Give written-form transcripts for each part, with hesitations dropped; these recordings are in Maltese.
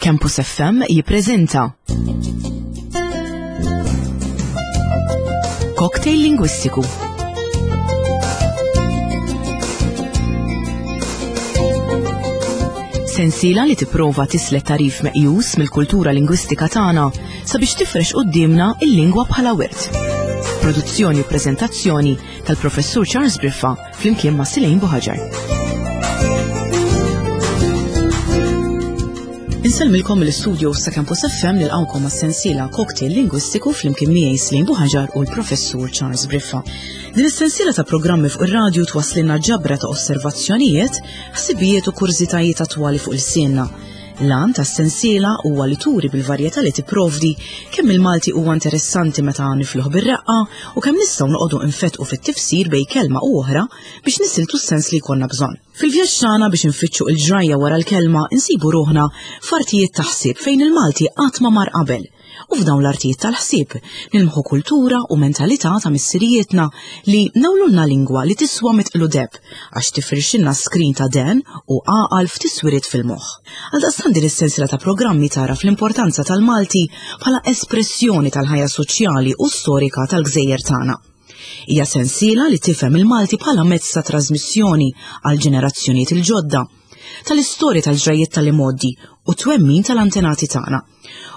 Campus FM jippreżenta Cocktail Lingwistiku. Sensiela li tipprova tislet tarif meqjus mill-kultura lingwistika tagħna sabiex tifrex quddiemna il-lingwa bħala wirt. Produzzjoni u preżentazzjoni tal-Professur Charles Briffa flimkien ma' Silejn Buħaġar. Insellmilkom mill-istudio sa' Campus FM nilqawkom għas-sensiela Cocktail Lingwistiku flimkien miegħi Slejn Buħaġar u l-Professur Charles Briffa. Din is-sensiela ta' programmi fuq ir-radju twasslilna ġabra ta' osservazzjonijiet, ħsibijiet u kurżitajiet attwali fuq il-sienna. L-għan tas-sensiela huwa li turi bil-varjetà li tipprovdi kemm il-Malti huwa interessanti meta nifluh bir-reqqa u kemm nistgħu noqogħdu nfettqu fit-tifsir bejn kelma u oħra biex nisiltu s-sens li jkollna bżonn. Fil-vjaġġ tagħna biex infittxu il-ġrajja wara l-kelma insibu ruħna f'artijiet ta' ħsieb fejn il-Malti qatt ma mar qabel. U f'dawn l-artijiet tal-ħsieb nilmħu kultura u mentalità ta' missirijietna li nawlulna lingwa li tiswa mitqlu deb għax tifrixilna skrin ta' den u għaqal f'tiswiriet fil-moħħ. Għaldaqstant din is-sensiela ta' programmi tagħraf l-importanza tal-Malti bħala espressjoni tal-ħajja soċjali u storika tal-gżejjer tagħna. Hija sensiela li tifhem il-Malti bħala mezz ta' trasmissjoni għal ġenerazzjonijiet il-ġodda tal-istorja tal-ġrajjiet tal-imgħoddi u twemmin tal-antenati tagħna.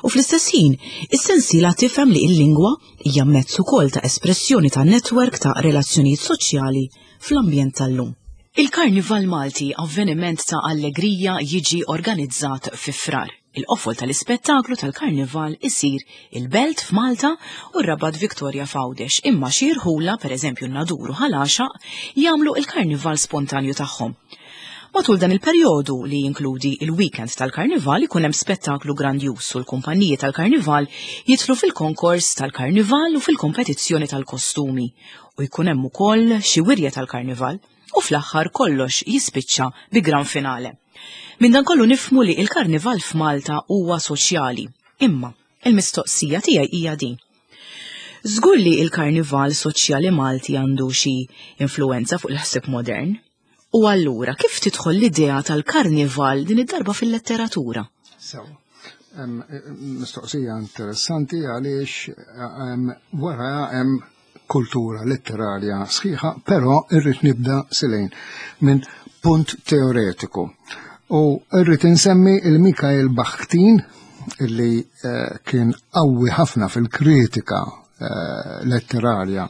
U fl-istess ħin, is-sensiela tifhem li l-lingwa hija mezz ukoll ta' espressjoni ta' netwerk ta' relazzjonijiet soċjali fl-ambjent tal-lum. Il-Karnival Malti, avveniment ta' allegrija jiġi organizzat fi Frar. Il-qofol tal-ispettaklu tal-Karnival isir il-Belt f'Malta u r-Rabat Victoria f'Għawdex, imma xi rħula, pereżempju n-Nadur u Ħal Għaxaq, jagħmlu il-Karnival spontanju tagħhom. Matul dan il-perjodu li jinkludi il-weekend tal-Karnival ikun hemm spettaklu grandjuż u l-kumpaniji tal-Karnival jidħlu fil-konkors tal-Karnival u fil-kompetizzjoni tal-kostumi u jkun hemm ukoll xi wirja tal-Karnival u fl-aħħar kollox jispiċċa bi gran finale. Minn dan kollu nifhmu li il-Karnival f'Malta huwa soċjali. Imma il-mistoqsija tiegħi hija din. Żgur li il-Karnival soċjali Malti għandu xi influenza fuq il-ħsieb modern? U allura kif tidħol l-idea tal-karnival din id-darba fil-letteratura? Sew. Mistoqsija interessanti għaliex wara hemm kultura letterarja sħiħa, però irrid nibda silejn minn punt teoretiku. U irrid insemmi il-Mikael Bakhtin illi eh, kien qawwi ħafna fil-kritika Eh, letterarja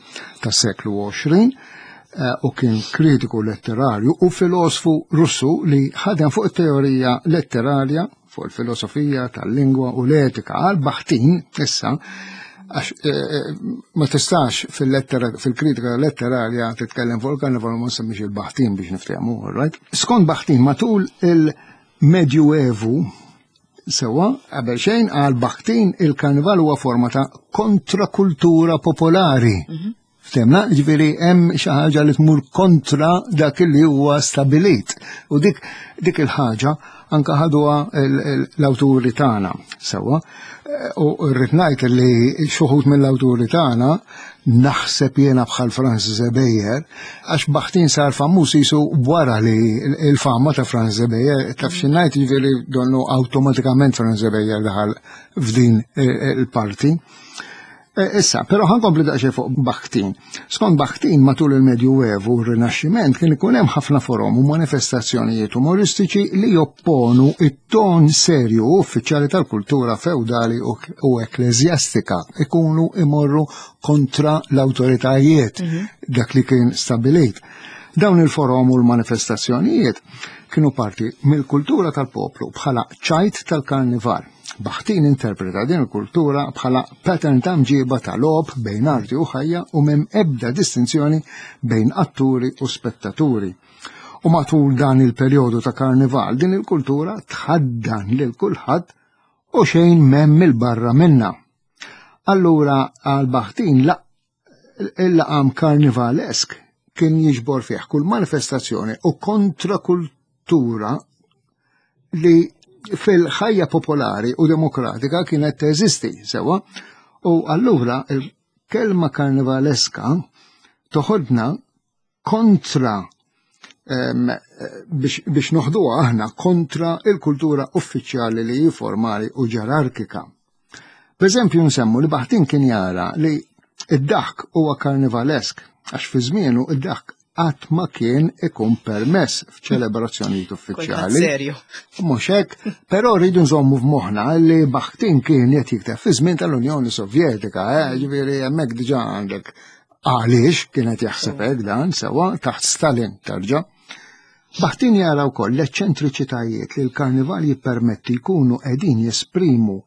tas-seklu 20 eh, u kien kritiku letterarju u filosfu Russu li ħadem fuq it-teorija letterarja, fuq il-filosofija tal-lingwa u l-etika għal Baħtin issa għax eh, ma tistax fil-kritika letterarja titkellem fuq il-karnival ma nsemmix il-Baħtin biex niftehmu, right? Skont Baħtin matul il-Medjuevu Sewwa, qabel xejn għal Bakhtin il-karnival huwa forma ta' kontrakultura popolari. Mhm. Ftemna, ġifieri hemm xi ħaġa li tmur kontra dak li huwa stabilit. U dik dik il-ħaġa anka ħaduha l-awturi tagħna. Sewwa, u rrid ngħid li xi wħud mill-awturi tagħna naħseb jiena bħal Francis Ebejer, għax Bakhtin sar famuż jisu wara li il-fama ta' Francis Ebejer, taf xi ngħid jiġifieri donnu awtomatikament Francis Ebejer daħal f'din il-parti. E, issa, però ħankompli daqsxejn fuq Bakhtin. Skont Bakhtin matul il-Medju Evu u r-Rinaxximent kien ikun hemm ħafna forom u manifestazzjonijiet umoristiċi li jopponu it-ton serju u uffiċjali tal-kultura feudali u ekkleżjastika ikunu imorru kontra l-awtoritajiet mhm. dak li kien stabilit. Dawn il-forom u l-manifestazzjonijiet kienu parti mill-kultura tal-poplu bħala ċajt tal-karnival. Baħtin interpreta din il-kultura bħala pattern ta' mġiba ta' logħob bejn arti u ħajja u m'hemm ebda distinzjoni bejn atturi u spettaturi. U matul dan il-perjodu ta' karnival din il-kultura tħaddan lil kulħadd u xejn m'hemm il-barra minna. Allura għal Baħtin la il-laqam karnivalesk kien jiġbor fih kull manifestazzjoni u kontrakultura li fil-ħajja popolari u demokratika kienet teżisti sewa u allura il-kelma karnivaleska toħodna kontra biex noħduha aħna kontra il-kultura uffiċjali li hi formali u ġerarkika. Per eżempju nsemmu li Baħtin kien jara li id-daħk huwa karnivalesk għax fi żmienu id-daħk qatt ma kien ikun permess f'ċelebrazzjonijiet uffiċjali. Serju. Mhux hekk, però rridu nżommu f'moħħna li Bakhtin kien qed jikteb fi żmien tal-Unjoni Sovjetika, eh, ġifieri hemmhekk diġà għandek għaliex kien qed jaħseb hekk dan sewwa taħt Stalin tarġa'. Bakhtin jara wkoll l-eċċentriċitajiet li l-karnival jippermetti jkunu qegħdin jesprimu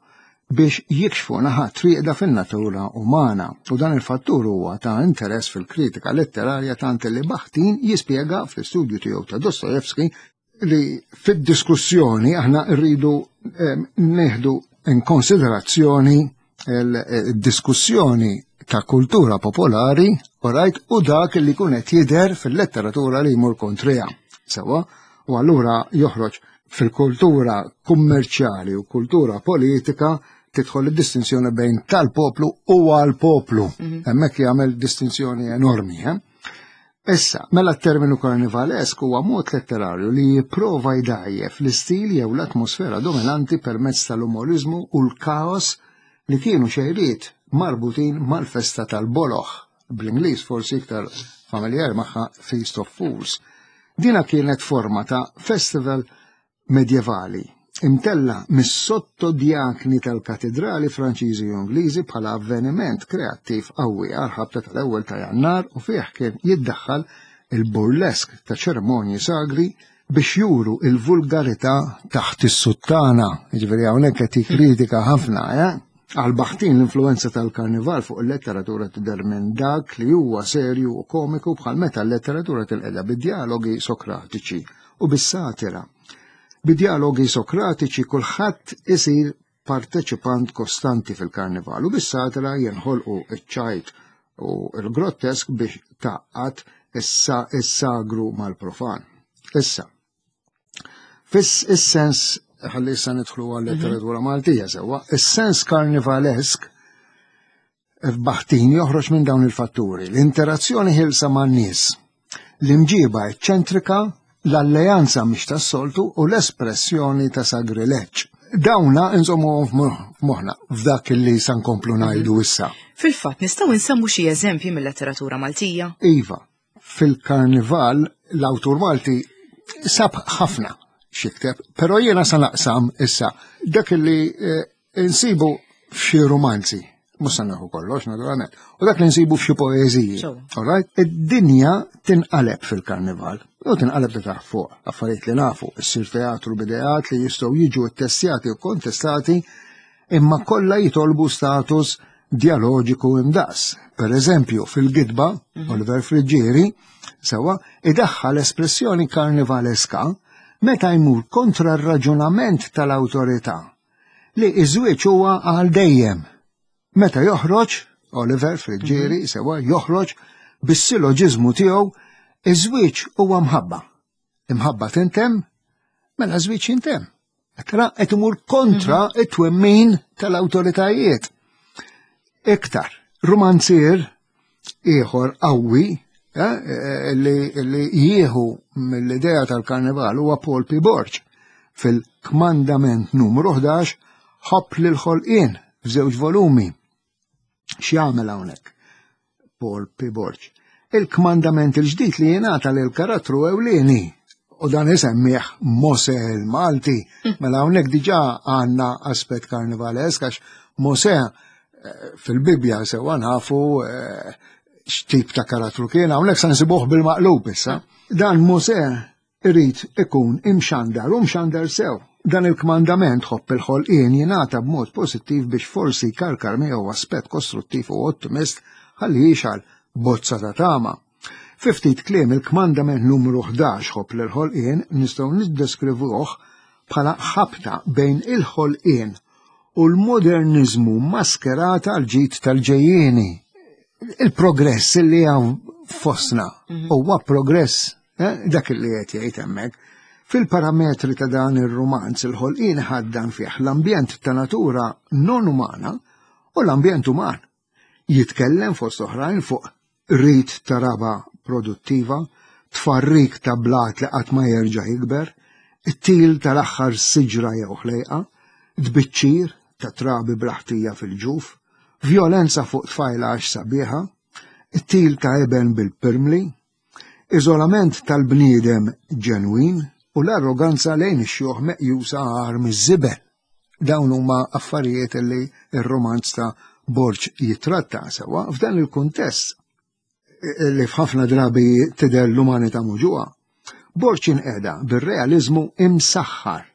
biex jikxfu naħat rieqda fin-natura umana u dan il-fattur huwa ta' interess fil-kritika letterarja tant li Bakhtin jispjega fl-istudju tiegħu ta' Dostojevski li fid-diskussjoni aħna rridu eh, neħdu in konsiderazzjoni il-diskussjoni ta' kultura popolari, orajt, u dak li kun qed jidher fil-letteratura li jmur kontriha. Sewa, u allura joħroġ fil-kultura kummerċjali u kultura politika tidħol id-distinzjoni bejn tal-poplu u għal-poplu. Mhm. Hemmhekk jagħmel distinzjoni enormi. Eh? Issa, mela t-terminu karnivalesk huwa mod letterarju li jipprova jdgħajjef l-istil jew l-atmosfera dominanti permezz tal-umorizmu u l-kaos li kienu xejriet marbutin mal-festa tal-boloh, bl-Ingliż forsi iktar familjari magħha Feast of Fools. Dina kienet forma ta' festival medjevali, imtella' mis-sottodjakni tal-katidrali Franċiżi u Ingliżi bħala avveniment kreattiv qawwi għall-ħabta tal-ewwel ta' Jannar u fih kien jiddaħħal il-burlesk ta' ċerimonji sagri biex juru l-vulgarità taħt is-suttana. Jiġifieri hawnhekk qed jikkritika ħafna, eh? Għal Baħtin l-influwenza tal-karnival fuq il-letteratura tidher minn dak li huwa serju u komiku bħal meta l-letteratura tinqeda bid-djalogi Sokratiċi u bis-satira. Bid-djalogi Sokratiċi kulħadd isir parteċipant kostanti fil-karnival u bis-satira jinħolqu ċ-ċajt u l-grottesk biex tgħaqqad is-sagru mal-profan. Issa, Fis is-sens ħalli issa nidħlu għal letteratura mhm. Maltija sewwa, is-sens karnivalesk f'Baħtin joħroġ minn dawn il-fatturi, l-interazzjoni ħilsa man-nies, l-imġiba eċċentrika, l-alleanza mhix tas-soltu u l-espressjoni ta' sagrileġġ. Dawna nżommu f'moħħna f'dak li sa nkomplu ngħidu mhm. issa. Fil-fatt nistgħu nsemmu xi eżempji mill-letteratura Maltija? Iva, fil-karnival l-awtur Malti sab ħafna xikteb, però jiena sa naqsam issa dak li eh, insibu f'xi romanzi, mhux se nieħu kollox naturalment, u dak li nsibu f'xi poeżiji. Alright? Id-dinja tinqaleb fil-karnival, u tinqaleb ta' taħt fuq, affarijiet li nafu, issir teatru b'ideat li jistgħu jiġu ttestjati u kontestati imma kollha jitolbu status djaloġiku imdaqs. Per eżempju, fil-gidba, mhm. Oliver Friggieri, sewa, idaħħal espressjoni karnivaleska meta jmur kontra r-raġunament tal-awtorità li iż-żwieġ huwa għal dejjem. Meta joħroġ, Oliver Friggieri, mhm. sewa, joħroġ bis-siloġiżmu tiegħu, iż-żwieġ huwa mħabba. Imħabba tintemm, mela żwieġ jintemm. Tra qed imur kontra mhm. it-twemmin tal-awtoritajiet. Iktar, romanzier ieħor qawwi eh, eh, li jieħu mill-idea tal-karnival huwa Paul P. Borg fil-kmandament numru 11 ħobb lil ħolqien f'żewġ volumi. X'jagħmel hawnhekk? Paul P. Borg. Il-kmandament il-ġdid li jingħata lil karattru ewlieni u dan isemmih Mose il-Malti. Hmm. Mela hawnhekk diġà għandna aspett karnivalesk għax Mose eh, fil-Bibbja sewwa nafu eh, x'tip ta' karattru kien hawnhekk se nsibuh bil-maqlub issa. Dan Mose irid ikun imxandar u mxandar sew. Dan il-kmandament ħobb il-ħolqien jingħata b'mod pożittiv biex forsi jkarkar miegħu aspett kostruttiv u ottimist ħalli jixgħal bozza ta' tama. Fi ftit kliem il-kmandament numru 11 ħobb lill-ħolqien nistgħu niddeskrivuh bħala ħabta bejn il-ħolqien u l-moderniżmu maskerat għal ġid tal-ġejjieni. Il-progress li hawn fostna mhm. huwa progress eh, dak li qed jgħid hemmhekk. Fil-parametri ta' dan ir-rumanz il-ħolqien ħaddan fih l-ambjent ta' natura non umana u l-ambjent uman. Jitkellem fost oħrajn fuq rit ta' raba produttiva, tfarrik ta' blat li qatt ma jerġa' jikber, it-til tal-aħħar siġra jew ħlejqa, tbiċċir ta' trabi bla ħtija fil-ġuf, vjolenza fuq tfajla għax sabiħa, it-til ta' iben bil-pirmli, iżolament tal-bniedem ġenwin u l-arroganza lejn ix-xjuħ meqjusa agħar miż-żibel. Dawn huma affarijiet li r-rumanz ta' Borg jitratta sewwa f'dan il-kuntest li f'ħafna drabi tidher l-umanità muġugħa. Borg inqeda bir-realiżmu imsaħħar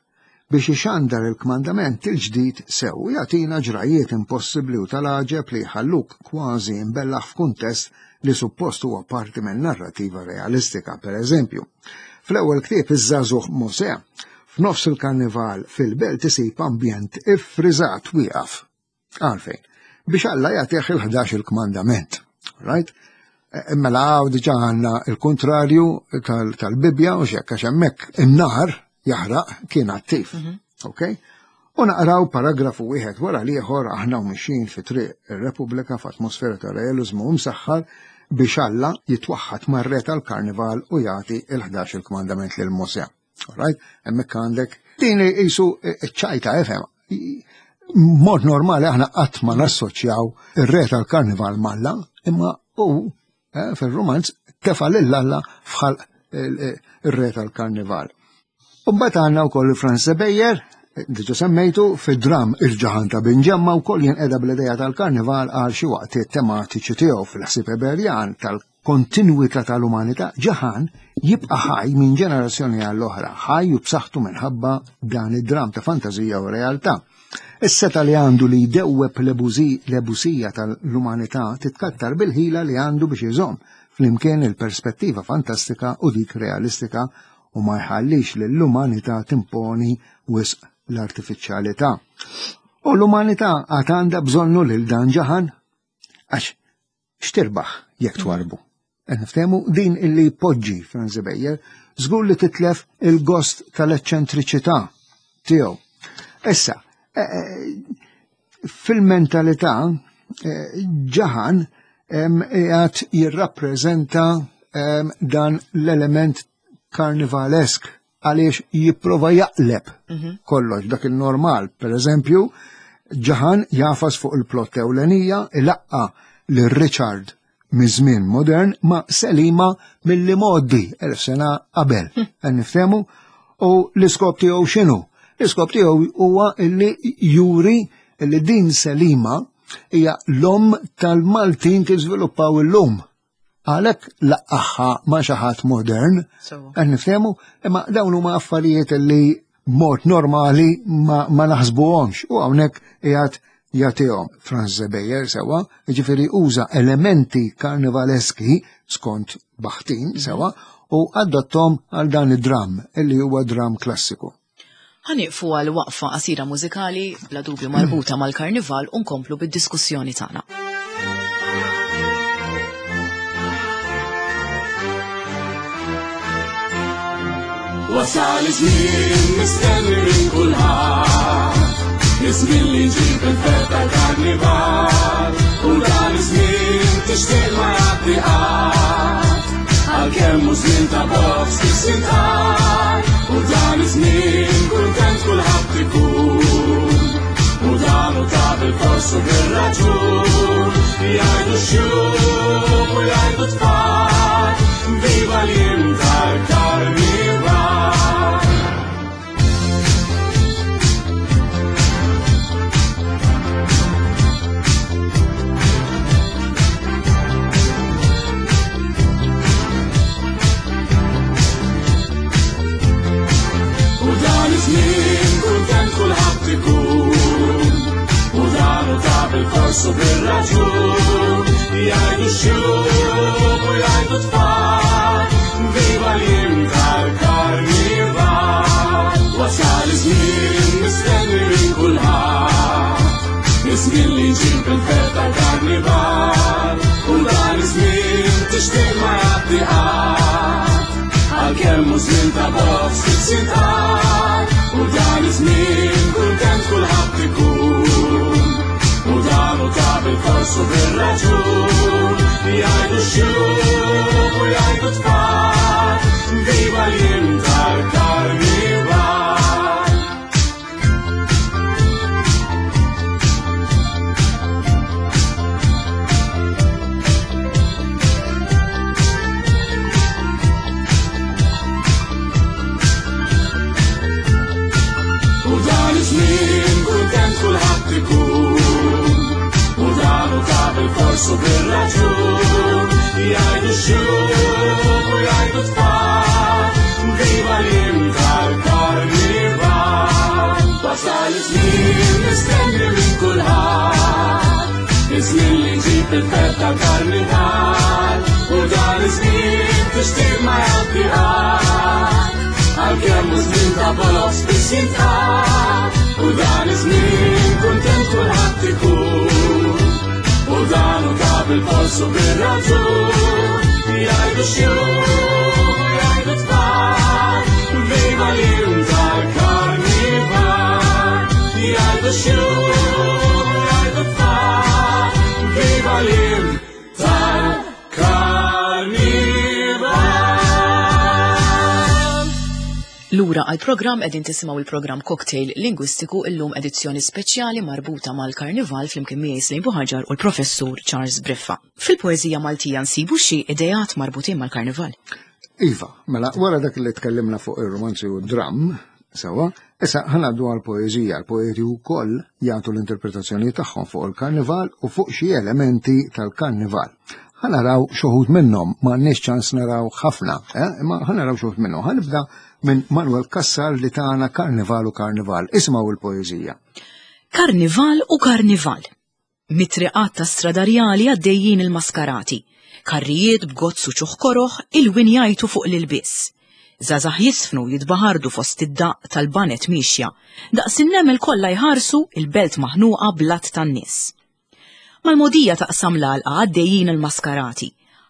biex ixandar il-kmandament il-ġdid sew u jagħtina ġrajiet impossibbli u tal-għaġeb li jħalluk kważi imbellaħ f'kuntest li suppost huwa parti minn narrativa realistika, per eżempju. Fl-ewwel ktieb iż-żagħżugħ Mosè, f'nofs il-karnival fil-belt isib ambjent iffriżat wieqaf. Għalfejn? Biex Alla jagħtih il-11 il-kmandament. Right? E, e, mela għaw diġa għanna il-kontrarju tal-Bibja u xekk għax hemmhekk in-nar jaħraq kien attiv. Mhm. Ok? U naqraw paragrafu wieħed wara l-ieħor aħna u mixjin fi triq ir-Repubblika f'atmosfera ta' realizmu msaħħar biex Alla jitwaħħad mar-re tal-karnival u jagħti il-11 il-kmandament lil Mosè. Right? Hemmhekk għandek din qisu ċajta efhem. Mod normali aħna qatt ma nassoċjaw ir-re tal-karnival m'Alla, imma hu eh, fil-romanz tefa' lil Alla fħal ir-re tal-karnival. U mbagħad għandna wkoll Franz Beyer, diġa semmejtu, fid-dram Il-ġaħan ta' Binġemma wkoll jinqeda bl-idea tal-karnival għal xi waqtiet tematiċi tiegħu fil-ħsieb Eberjan tal kontinwità tal-umanità, Ġaħan jibqa' ħaj minn ġenerazzjoni għall-oħra, ħaj u b'saħħtu minħabba dan id-dram ta' fantażija u realtà. Is-setgħa li għandu li jdewweb l-ebusija tal-umanità titkattar bil-ħila li għandu biex iżomm flimkien il-perspettiva fantastika u dik realistika u ma jħallix lill-umanità timponi wisq l-artifiċjalità. U l-umanità għad għandha bżonnu lil dan Ġaħan għax x'tirbaħ jekk twarbu? Qed niftehmu din illi jpoġġi Franz Beyer żgur li titlef il-gost tal-eċċentriċità tiegħu. Issa, eh, eh, fil-mentalità eh, ġaħan qiegħed jirrappreżenta dan l-element karnivalesk għaliex jipprova jaqleb mhm. kollox dak il-normal. Per eżempju, ġaħan jafas fuq il-plot ewlenija ilaqqa lil Richard miż-żmien modern ma' Selima mill modi elf sena qabel. Hm. Niftehmu u l-iskop tiegħu x'inhu? L-iskop tiegħu huwa illi juri illi din Selima hija l-om tal-Maltin kif żviluppaw illum. Għalhekk laqqaħħa ma' xi ħadd modern, qed niftehmu, imma dawn huma affarijiet li mod normali ma, ma naħsbuhomx u hawnhekk qiegħed jagħtihom Franz Zebejer sewa, jiġifieri uża elementi karnivaleski skont Baħtin sewa u adottom għal dan id-dram illi huwa dram klassiku. Ħa nieqfu għal waqfa qasira mużikali bla dubju marbuta mal-karnival u nkomplu bid-diskussjoni tagħna. Wasal iż-żmien mistenni minn kulħadd, iż-żmien li jġib il-ferħ tal-karnival, u dan iż-żmien tixtieq ma jgħaddi qatt. Għalkemm hu żmien ta' box kif sintqal, u dan iż-żmien kuntent kulħadd ikun. U dan u ta' bil-fors u bir-raġun, jgħidu xjuħ u jgħidu tfal, viva l-jiem tal-karnival. U dan iż-żmien kuntent kulħadd ikun. U dan u ta' bil-fors u bir-raġun. Jgħidu xjuħ u jgħidu tfal. Viva l-jiem tal-karnival. Wasal iż-żmien mistenni minn kulħadd. Iż-żmien li jġib il-ferħ tal-karnival. U dan iż-żmien tixtieq ma jgħaddi qatt. Għalkemm hu żmien ta' box kif sintqal. U dan iż-żmien kuntent kulħadd ikun. U dan u ta' bil-fors u bir-raġun. Jgħidu xjuħ u jgħidu tfal. mistenni minn kulħadd. Iż-żmien li jġib il-ferħ tal-karnival u dan iż-żmien tixtieq ma jgħaddi qatt. Għalkemm hu żmien ta' boloz spiss jintqal u dan iż-żmien kuntent kulħadd ikun. U dan hu ta' bil-polsu bir-raġun jgħidu xjuħ, jgħidu tfal, viva l-jum tal-karnival. Jgħidu xjuħ, jgħidu tfal, viva l-jum tal-karnival. Lura għall-programm qegħdin tisimgħu il-programm Cocktail Lingwistiku illum edizzjoni speċjali marbuta mal-Karnival flimkien miegħi Slim Buħaġar u l-Professur Charles Briffa. Fil-poeżija Maltija nsibu xi ideat marbutin mal-Karnival. Iva, mela wara dak li tkellimna fuq ir-romanzi u d-dramm, sewa, issa ħanaddu għall-poeżija. L-poeti wkoll jagħtu l-interpretazzjoni tagħhom fuq il-Karnival u fuq xi elementi tal-Karnival. Ħanaraw xoħud minnhom, ma għandniex ċans naraw ħafna, eh? imma ħanaraw xoħud minnhom. Ħanibda minn Manuel Cassar li tagħna Karnival u Karnival. Isimgħu il-poeżija. Karnival u Karnival. Mit-triqat ta' stradarjali għaddejjin il-maskarati. Karrijiet b'gozz u ċuħ koroħ il-win jgħajtu fuq l-ilbies. Żgħażagħ jisfnu jitbaħardu fost id-daqq tal-banet miexja. Daqs in-nemel kollha jħarsu il-belt maħnuqa bl-għadd tan-nies. Mal-mogħdija taqsam l-għalqa għaddejjin il-maskarati.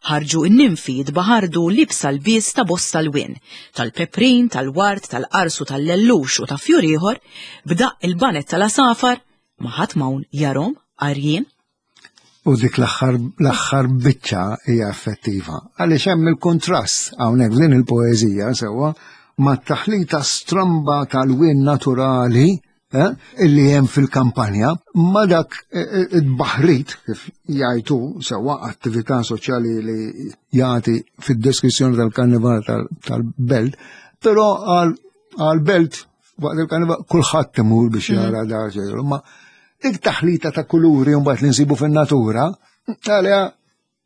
Ħarġu n-ninfi jitbaħardu liebsa lbies ta' bosta lwien, tal-peprin, tal-ward, tal-qars u tal-lellux u ta' fjur ieħor, b'daqq il-banet tal-għasafar, ma ħadd m'hawn jarhom għajr jien. U dik l-aħħar biċċa hija effettiva. Għaliex hemm il-kontrast hawnhekk f'din il-poeżija sewwa mat-taħlita stramba tal-wien naturali eh, illi hemm fil-kampanja ma dak eh, eh, id-baħrit kif jgħidu sewwa attività soċjali li jagħti fid-deskrizzjoni tal-karnival tal-belt, però għal-belt waqt il-karnival kulħadd imur biex mm. jara da ma dik taħlita ta' kuluri mbagħad li nsibu fin-natura, għalija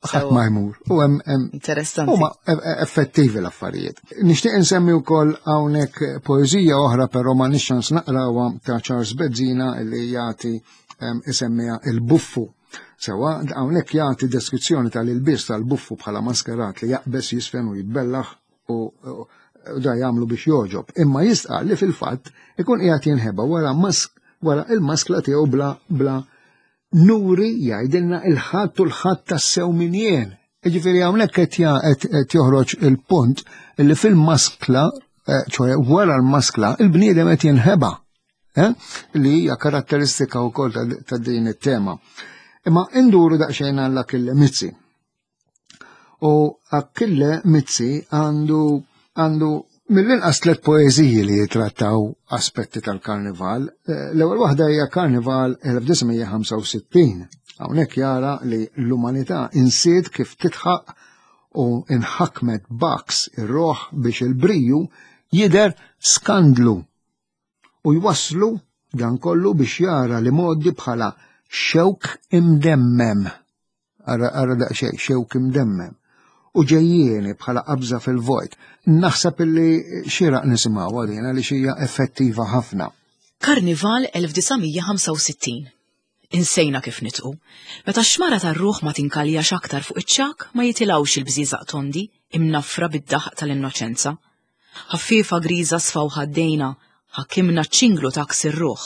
ħadd ma jmur. U hemm Interessanti. Huma e, e, effettivi l-affarijiet. Nixtieq insemmi wkoll hawnhekk poeżija oħra però ma nix ċans naqrawha ta' Charles Bezzina li jagħti isemmiha il-buffu. Sewa, hawnhekk jagħti deskrizzjoni tal-ilbies tal-buffu bħala maskerat li jaqbeż jisfen u jitbellaħ u da jagħmlu biex joġob. Imma jistqar li fil-fatt ikun qiegħed jinħeba wara mask wara il-maskla tiegħu bla bla Nuri jgħidilna il-ħadd u l-ħadd tassew min jien. Jiġifieri hawnhekk qed joħroġ il-punt li fil-maskla, eh, ċoħe wara l-maskla, il-bniedem qed jinħeba. Eh, li hija karatteristika wkoll ta' din it-tema. Imma induru daqsxejn għal Achille Mizzi. U Achille Mizzi għandu għandu mill-inqas tliet poeżiji li jitrattaw aspetti tal-karnival. Eh, l-ewwel waħda hija Karnival 1965. Hawnhekk jara li l-umanità insiet kif titħaq u inħakmet baks ir-roħ biex il-briju jidher skandlu u jwasslu dan kollu biex jara li modi bħala xewk imdemmem. Ara ara daqsxejn xewk imdemmem. U ġejjieni bħala qabża fil-vojt. Naħseb illi xieraq nisimgħuha din għaliex hija effettiva ħafna. Karnival 1965. Insejna kif nitqu. Meta x-xmara tar-ruħ ma tinkaljax aktar fuq iċ-ċagħak ma jitilgħux il-bżieżaq tondi imnaffra bid-daħq tal-innoċenza. Ħaffiefa griża sfaw ħaddejna, ħakimna ċ-ċinglu ta' għaks ir-ruħ.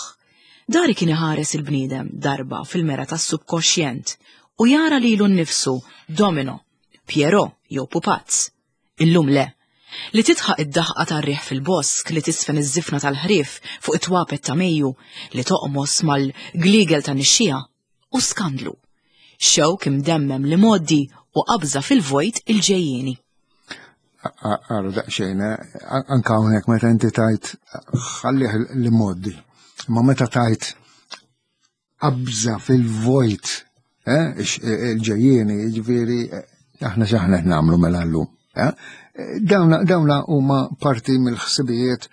Dari kien iħares il-bniedem darba fil-mera tas-subkoxjent u jara lilu nnifsu domino, Pierrot jew pupazz. Illum le. Li tidħaq id-daħqa tar-riħ fil-bosk, li tisfen iż-żifna tal-ħrief fuq it-twapet ta' Mejju, li toqmos mal-gliegel ta' nixxiegħa, u skandlu. Xewk imdemmem l-imgħoddi u qabża fil-vojt il-ġejjieni. Għara daqsxejn, eh, anka hawnhekk meta inti tajt ħallih l-imgħoddi, ma meta tajt qabża fil-vojt eh, eh, il-ġejjieni, jiġifieri aħna x'aħna qed nagħmlu mela llum. Dawna huma parti mill-ħsibijiet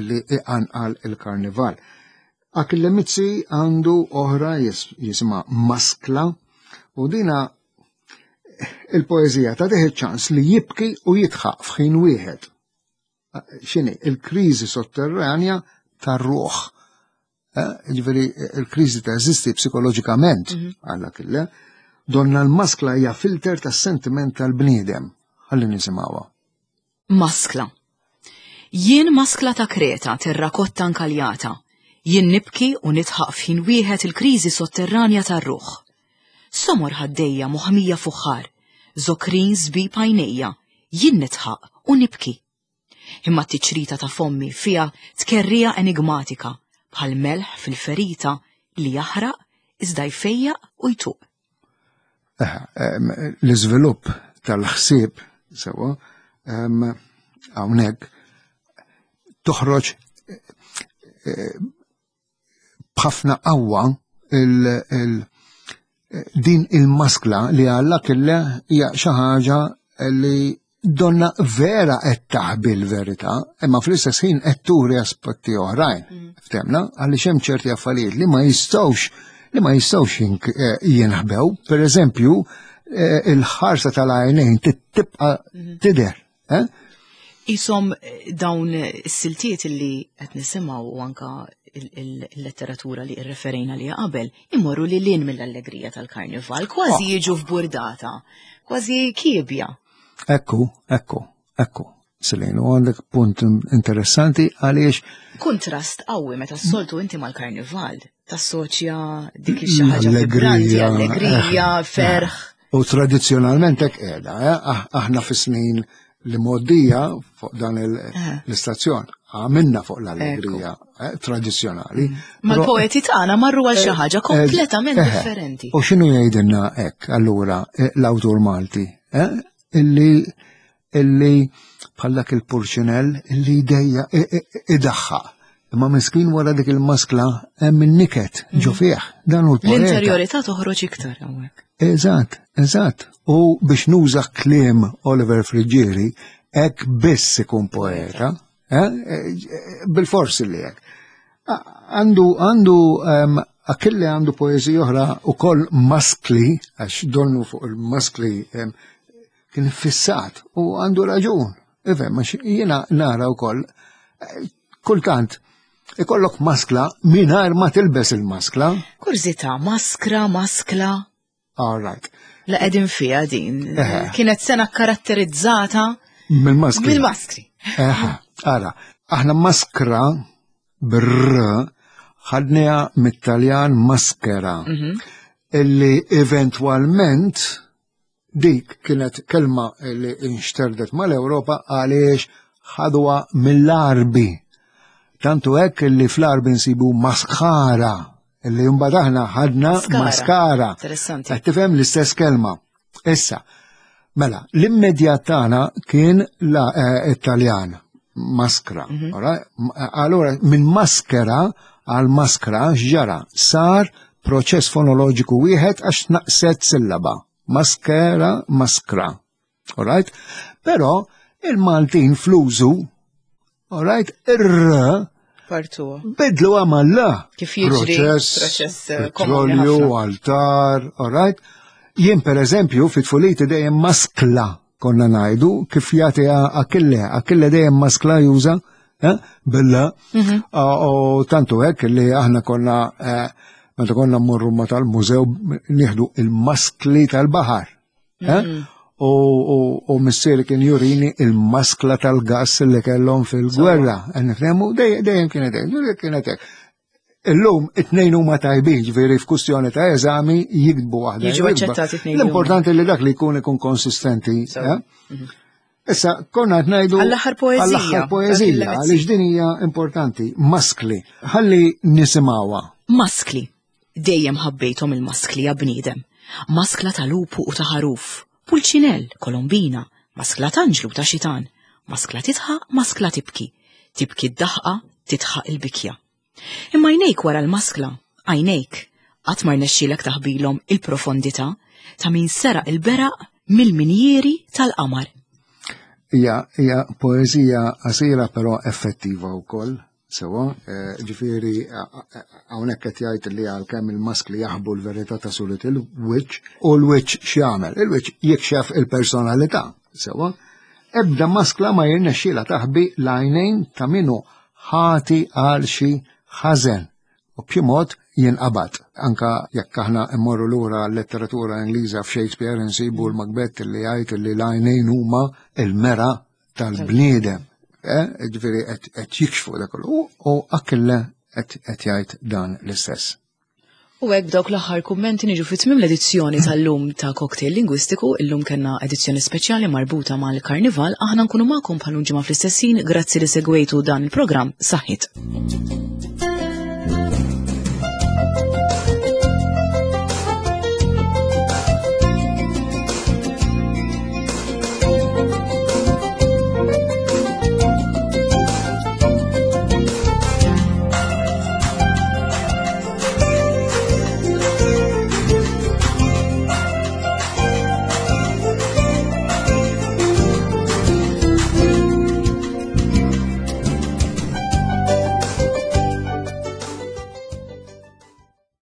li iqanqal il-karnival. Achille Mizzi għandu oħra jisimha Maskla u dina il-poeżija ta' iċ-ċans li jibki u jidħaq f'ħin wieħed. X'inhi il-kriżi sotterranja tar-ruħ. Eh, ġifieri il-kriżi teżisti psikoloġikament mhm. għalla kille. Donna l-maskla hija filter tas-sentiment tal-bniedem. Ħalli nisimgħuha. Maskla. Jien maskla ta' Kreta terrakotta nkaljata. Jien nibki u nidħaq f'ħin wieħed il-kriżi sotterranja tar-ruħ. Somor ħaddejja moħmija fuħħar, zokrin żbib għajnejja, jien nidħaq u nibki. Imma t-tiċrita ta' fommi fiha tkerrija enigmatika bħal melħ fil-ferita li jaħraq iżda jfejjaq u jtuq. L-iżvilupp tal-ħsieb sewwa hawnhekk toħroġ eh, b'ħafna qawwa din il-maskla li għalla kille hija xi ħaġa li donna vera qed taħbi l-verità, imma fl-istess ħin qed turi aspetti oħrajn. Mm. Ftemna, għaliex hemm ċerti affarijiet li ma jistgħux li ma jistgħux eh, jinħbew. Per eżempju, eh, il-ħarsa tal-għajnejn tibqa' mm-hmm. tidher. Eh? Isom dawn is-siltiet li qed nisimgħu u anka il-letteratura li rreferejna li qabel imorru li lin mill-allegrija tal-karnival, kważi oh. jiġu f'burdata, kważi kiebja. Ekku, ekku, ekku. Selin, u għandek punt interessanti għaliex. Kontrast qawwi meta s-soltu inti mal-karnival tassoċja dik ix ħaġa vibranti, allegrija, eh, ferħ. U tradizzjonalment hekk qiegħda, eh? ah, aħna fis-snin li moddija fuq dan eh. l-istazzjon għamilna fuq l-allegrija eh, tradizzjonali. Mm. Mal-poeti tagħna marru għal xi ħaġa kompletament differenti. U x'inhu jgħidilna hekk allura l-awtur Malti? Illi illi bħal dak il-purċinell illi jdejja idaħħaq. Imma miskin wara dik il-maskla hemm in-niket ġo mm. fih. Dan hu l L-interjorità toħroġ iktar hawnhekk. Eżatt, eżatt. U biex nuża kliem Oliver Friggieri, hekk biss ikun poeta, eh? eh bil-forsi li hekk. Għandu għandu ehm, Achille għandu poeżija oħra ukoll maskli, għax donnu fuq il-maskli ehm, kien fissat u għandu raġun. Ifhem, għax jiena nara wkoll eh, kultant ikollok maskla mingħajr ma tilbes il-maskla. Kurżità, maskra, maskla. All right. La qegħdin fiha din. Kienet sena karatterizzata mill-maskri. Mill-maskri. Eħe, ara, aħna maskra brr ħadniha mit-Taljan maskera. Mhm. Illi eventwalment Dik kienet kelma li inxterdet mal-Ewropa għaliex ħadwa mill-Arbi. Tantu hekk li fl-Arbi nsibu maskara, li mbagħad aħna ħadna maskara. Interessanti. Qed tifhem l-istess kelma. Issa, mela, l-immedjat tagħna kien la eh, Italjan, maskra. Mhm. Allora, minn maskera għal maskra x'ġara? Sar proċess fonoloġiku wieħed għax naqset sillaba. Maskera, maskra. Alright? Però il-Maltin fl-użu, alright, ir-r Partu. Bidlu għamalla. Kif jiġri proċess, eh, petrolju, altar, alright? Jien per eżempju fit-tfuliti dejjem maskla konna ngħidu kif jagħti Akille, Akille dejjem maskla juża eh, billa mhm. u tantu hekk li aħna konna eh, meta konna mmorru ma tal-mużew nieħdu il-maskli tal-baħar. Eh? Mhm. U missieri kien jurini il-maskla tal-gas li kellhom fil-gwerra. Nifhemu dejjem kienet hekk, kienet hekk. Illum it-tnejn huma tajbin, ġifieri f'kustjoni ta' eżami jiktbu waħda. Jiġu aċċettati tnejn. L-importanti li dak li jkun ikun konsistenti. Eh? Mhm. Issa konna qed ngħidu għall-aħħar poeżija. Għall-aħħar poeżija, għaliex din hija importanti. Maskli, ħalli nisimgħuha. Maskli. Dejjem ħabbejthom il-maskli ja bniedem. Maskla ta' lupu u ta' ħaruf, pulċinell, kolombina, maskla t'anġlu ta' xitan, maskla tidħaq, maskla tibki, tibki d-daħqa, tidħaq il-bikja. Imma għajnejk wara l-maskla, għajnejk, qatt ma rnexxielek taħbilhom il-profondità ta' min seraq il-beraq mill-minjieri tal-qamar. Hija hija poeżija qasira però effettiva wkoll. Sewa, eh, ġifieri hawnhekk qed jgħid li għalkemm il-maskli jaħbu l-verità ta' suret il-wiċċ u l-wiċċ x'jagħmel? Il-wiċċ jikxef il-personalità. Sewa, ebda maskla ma jirnexxiela taħbi l-għajnejn ta' minu ħati għal xi ħażen. U b'xi mod jinqabad. Anka jekk aħna mmorru lura l-letteratura Ingliża f'Shakespeare insibu l-Macbeth li jgħid li l-għajnejn huma l-mera tal-bniedem. Eh, ġifieri qed jikxfu dak kollu. U Achille qed jgħid dan l-istess. U hekk b'dawk l-aħħar kummenti niġu fi tmiem l-edizzjoni tal-lum ta' Cocktail Lingwistiku, illum kellna edizzjoni speċjali marbuta mal-Karnival, aħna nkunu magħkom bħal ġimgħa fl-istess ħin, grazzi li segwejtu dan il-programm, saħħit.